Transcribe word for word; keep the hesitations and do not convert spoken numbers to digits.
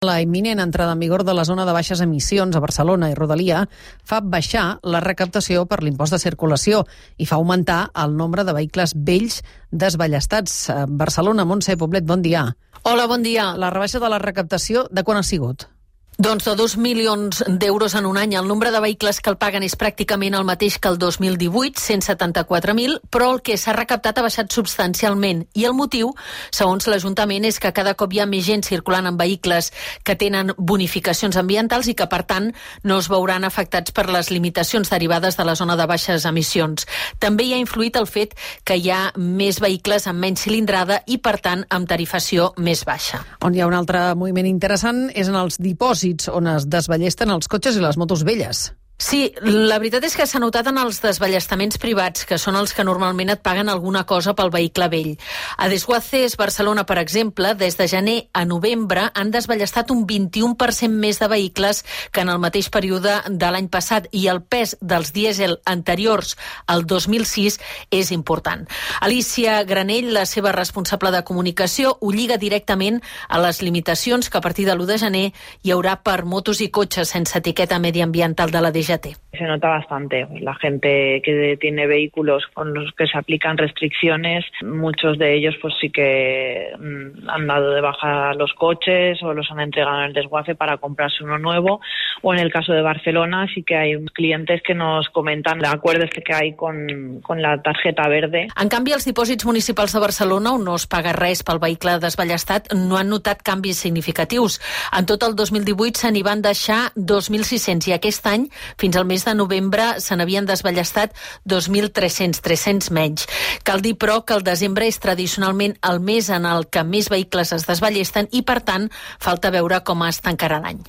La imminent entrada en vigor de la zona de baixes emissions a Barcelona i Rodalia fa baixar la recaptació per l'impost de circulació i fa augmentar el nombre de vehicles vells desballestats. Barcelona, Montse Poblet, bon dia. Hola, bon dia. La rebaixa de la recaptació, de quan ha sigut? Doncs de dos milions d'euros en un any. El nombre de vehicles que el paguen és pràcticament el mateix que el dos mil divuit, cent setanta-quatre mil, però el que s'ha recaptat ha baixat substancialment. I el motiu, segons l'Ajuntament, és que cada cop hi ha més gent circulant en vehicles que tenen bonificacions ambientals i que, per tant, no es veuran afectats per les limitacions derivades de la zona de baixes emissions. També hi ha influït el fet que hi ha més vehicles amb menys cilindrada i, per tant, amb tarifació més baixa. On hi ha un altre moviment interessant és en els dipòsits, on es desballesten els cotxes i les motos velles. Sí, la veritat és que s'ha notat en els desballestaments privats, que són els que normalment et paguen alguna cosa pel vehicle vell. A Desguaces, Barcelona, per exemple, des de gener a novembre han desballestat un vint-i-u per cent més de vehicles que en el mateix període de l'any passat, i el pes dels dièsel anteriors al dos mil sis és important. Alicia Granell, la seva responsable de comunicació, ho lliga directament a les limitacions que a partir de l'u de gener hi haurà per motos i cotxes sense etiqueta mediambiental de la D G T. Se nota bastante. La gente que tiene vehículos con los que se aplican restricciones, muchos de ellos pues sí que mmm, han dado de baja los coches o los han entregado en el desguace para comprarse uno nuevo. O en el caso de Barcelona sí que hay clientes que nos comentan el acuerdo este que hay con, con la tarjeta verde. En canvi, els dipòsits municipals de Barcelona, on no es paga res pel vehicle desballestat, no han notat canvis significatius. En tot el dos mil divuit se n'hi van deixar dos mil sis-cents i aquest any, fins al mes de novembre, se n'havien desballestat dos mil tres-cents, tres-cents menys. Cal dir, però, que el desembre és tradicionalment el mes en el que més vehicles es desballesten i, per tant, falta veure com es tancarà l'any.